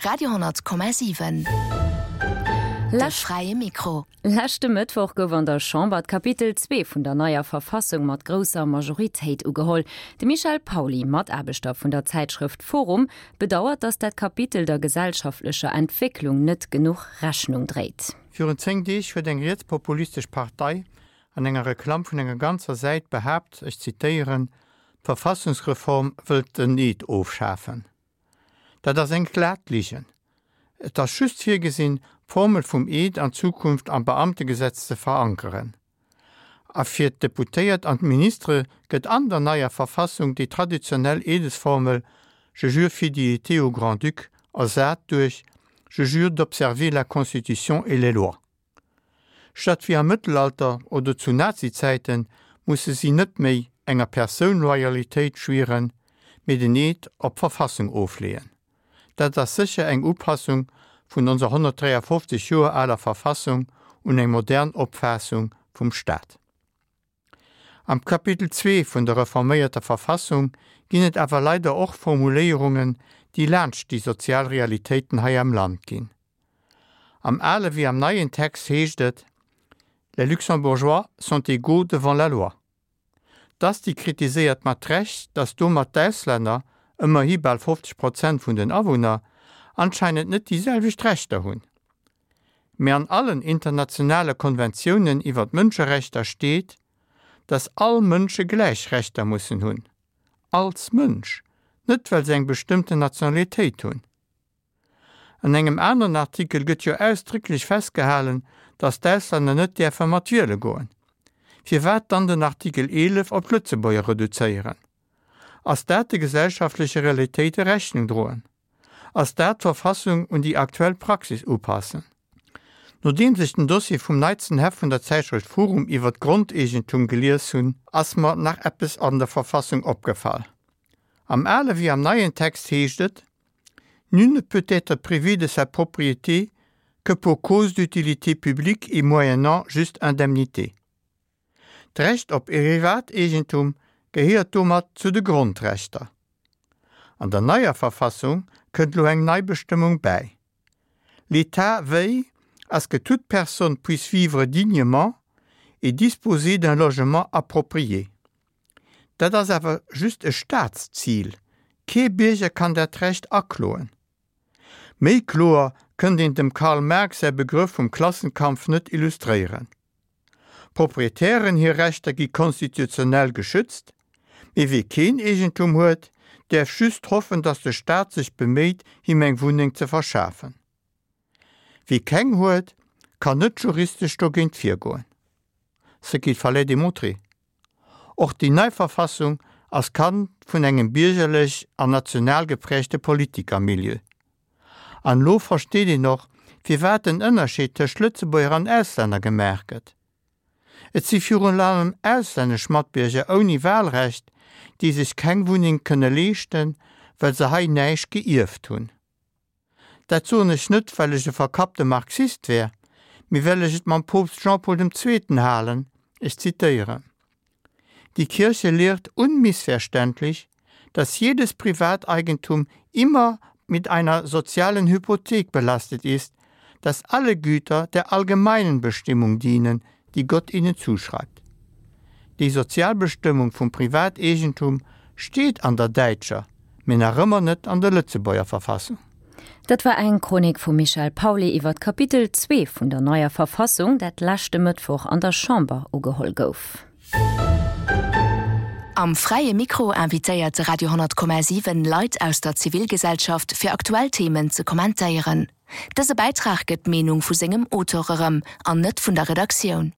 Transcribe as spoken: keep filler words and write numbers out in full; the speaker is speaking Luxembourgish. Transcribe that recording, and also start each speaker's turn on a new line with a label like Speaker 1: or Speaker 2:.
Speaker 1: Radio honnert Komma siwen, De fräie Mikro.
Speaker 2: Leschte Mëttwoch gouf an der Chamber d'Kapitel zwee vun der neier Verfassung mat grousser Majoritéit ugeholl. De Michel Pauly, Mataarbechter vun der Zäitschrëft forum, bedauert, datt dat Kapitel der gesellschaftlecher Entwécklung net genuch Rechnung dréit.
Speaker 3: Virun zéng Deeg huet eng rietspopulistesch Partei an enger Reklamm vun enger ganzer Säit behaapt, ech zitéieren, D'Verfassungsreform wëllt den Eed ofschafen. Dat ass eng glat Ligen. Et ass just virgesinn, d'Formel vum Eed an Zukunft am Beamtegesetz ze verankeren. A fir d'Deputéiert an d'Ministere gëtt an der neier Verfassung déi traditionell Eedesformel Je jure fidélité au Grand-Duc ersat duerch Je jure d'observer la Constitution et les lois. Statt wéi am Mëttelalter oder zu Nazizäite musse si net méi enger Persoun Loyalitéit schwieren, mee den Eed op d'Verfassung ofleeën. Dat ass sécher eng Upassung vun onser honnertdräiafofzeg Joer aler Verfassung un eng modern Opfaassung vum Staat. Am Kapitel zwee vun der reforméierter Verfassung ginn et awer leider och Formuléierungen, déi laanscht déi sozial Realitéiten hei am Land ginn. Am ale wéi am neien Text heescht et, Les Luxembourgeois sont égaux devant la loi. D'Asti kritiséiert mat Recht, datt domat d'Auslänner, ëmmerhi bal fofzeg Prozent vun den Awunner, anscheinend net déi selwecht Rechter hunn. Mee an allen internationale Konventiounen iwwer d'Mënscherechter steet, datt all Mënsche gläich Rechter mussen hunn. Als Mënsch, net well se eng bestëmmten Nationalitéit hunn. An engem aneren Artikel gëtt jo ausdrécklech festgehalen, datt d'Auslänner net däerfe mat wiele goen. Firwat dann den Artikel eelef op d'Lëtzebuerger reduzéieren? Ass dat de gesellschaftleche Realitéite Rechnung droen? Ass dat d'Verfassung un déi aktuell Praxis upassen? Nodeems ech den Dossier vum neitsten Heft vun der Zäitschrëft forum iwwer d'Grondeegentum gelies hunn, ass mer nach eppes an der Verfassung opgefall. Am ale wéi am neien Text heescht et, Nul ne peut être privé de sa propriété que pour cause d'utilité publique et moyennant juste indemnité. D'Recht op Privateegentum gehéiert domat zu de Grondrechter. An der neier Verfassung kënnt lo eng nei Bestëmmung bäi, L'État veille à ce que toute personne puisse vivre dignement et disposer d'un logement approprié. Dat ass awer just e Staatszil, kee Bierger kann dat Recht akloen. Méi kloer kënnt een dem Karl Marx säi Begrëff vum Klassenkampf net illustréieren. Proprietären hir Rechter gi konstitutionell geschützt, mee wie keen Eegentum huet, däerf just hoffen, datt de Staat sech beméit, him eng Wunneng ze verschafen. Wie keng huet, kann net juristesch dogéint virgoen. Ce qu'il fallait démontrer. Och déi nei Verfassung ass Kand vun engem biergerlech an national geprägte Politikermilieu. An elo versteet een och, firwat den Ënnerscheed tëscht Lëtzebuerger an Auslänner gemaach gëtt. Et si virun allem auslännesch Matbierger ouni Wahlrecht, déi sech keng Wunneng kënne leeschten, well se hei näischt geierft hunn. Dat soen ech net, well ech e verkappte Marxist wär, mee well ech et mam Poopst Jean-Paul dem Zweeten halen, ech zitéieren, Die Kirche lehrt unmissverständlich, dass jedes Privateigentum immer mit einer sozialen Hypothek belastet ist, dass alle Güter der allgemeinen Bestimmung dienen, die Gott ihnen zuschreibt. Déi sozial Bestëmmung vum Privateegentum steet an der däitscher, mee nach ëmmer net an der Lëtzebuerger Verfassung.
Speaker 2: Dat war eng Chronik vum Michel Pauly iwwer d'Kapitel zwee vun der neier Verfassung, dat leschte Mëttwoch an der Chamber ugeholl gouf.
Speaker 1: Am Fräie Mikro invitéiert de Radio honnert Komma siwen Leit aus der Zivilgesellschaft fir aktuell Themen ze kommentéieren. Dëse Bäitrag gëtt d'Meenung vu sengem Auteur erëm an net vun der Redaktioun.